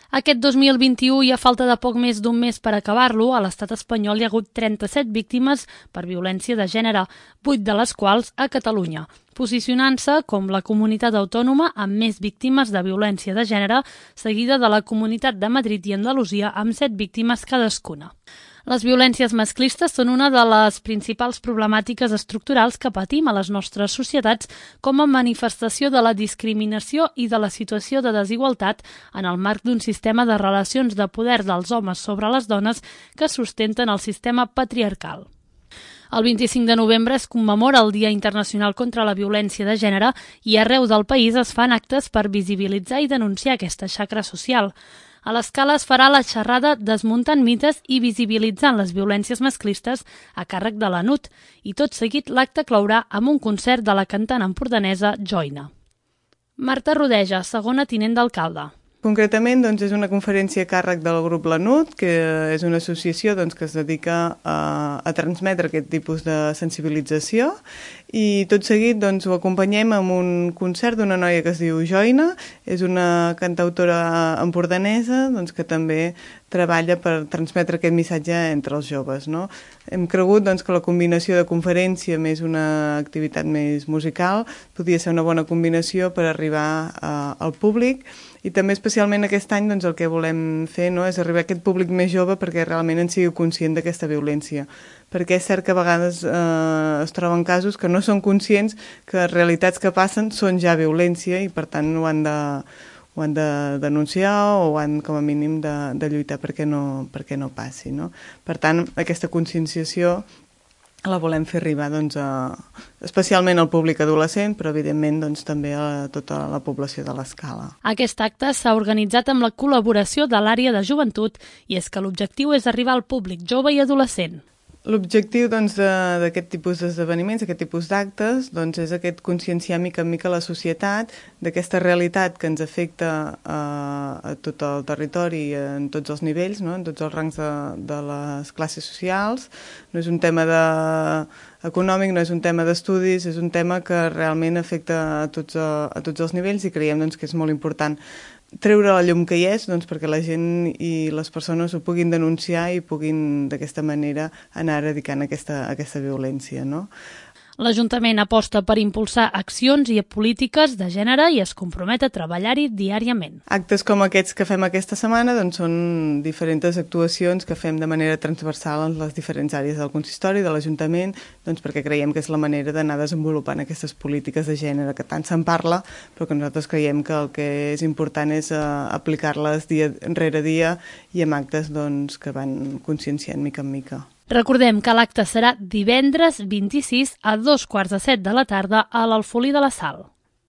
Aquest 2021 i a falta de poc més d'un mes per acabar-lo, a l'estat espanyol hi ha hagut 37 víctimes per violència de gènere, 8 de les quals a Catalunya, posicionant-se com la comunitat autònoma amb més víctimes de violència de gènere, seguida de la Comunitat de Madrid i Andalusia amb 7 víctimes cadascuna. Les violències masclistes són una de les principals problemàtiques estructurals que patim a les nostres societats com a manifestació de la discriminació i de la situació de desigualtat en el marc d'un sistema de relacions de poder dels homes sobre les dones que sustenten el sistema patriarcal. El 25 de novembre es commemora el Dia Internacional contra la Violència de Gènere i arreu del país es fan actes per visibilitzar i denunciar aquesta xacra social. A l'Escala es farà la xerrada Desmuntant mites i visibilitzant les violències masclistes a càrrec de la NUT i tot seguit l'acte clourà amb un concert de la cantant empordanesa Joina. Marta Rodeja, segona tinent d'alcalde. Concretament, és una conferència a càrrec del grup Lanut, que és una associació que es dedica a transmetre aquest tipus de sensibilització i tot seguit ho acompanyem amb un concert d'una noia que es diu Joina, és una cantautora empordanesa que també treballa per transmetre aquest missatge entre els joves. No? Hem cregut que la combinació de conferència més una activitat més musical podia ser una bona combinació per arribar al públic i també especialment aquest any el que volem fer és arribar a aquest públic més jove perquè realment en sigui conscient d'aquesta violència. Perquè és cert que a vegades es troben casos que no són conscients que realitats que passen són ja violència i per tant ho han de denunciar o han com a mínim de lluitar perquè no passi. No? Per tant, aquesta conscienciació la volem fer arribar especialment al públic adolescent, però evidentment també a tota la població de l'Escala. Aquest acte s'ha organitzat amb la col·laboració de l'àrea de joventut i és que l'objectiu és arribar al públic jove i adolescent. L'objectiu d'aquest tipus d'esdeveniments, d'aquest tipus d'actes, és aquest conscienciar mica en mica la societat d'aquesta realitat que ens afecta a tot el territori en tots els nivells, en tots els rangs de les classes socials. No és un tema econòmic, no és un tema d'estudis, és un tema que realment afecta a tots els nivells i creiem que és molt important treure la llum que hi és perquè la gent i les persones ho puguin denunciar i puguin d'aquesta manera anar erradicant aquesta violència. No? L'Ajuntament aposta per impulsar accions i polítiques de gènere i es compromet a treballar-hi diàriament. Actes com aquests que fem aquesta setmana són diferents actuacions que fem de manera transversal en les diferents àrees del consistori, de l'Ajuntament, perquè creiem que és la manera d'anar desenvolupant aquestes polítiques de gènere que tant se'n parla, però que nosaltres creiem que el que és important és aplicar-les dia rere dia i amb actes que van conscienciant mica en mica. Recordem que l'acte serà divendres 26 a 2:15 de la tarda a l'Alfolí de la Sal.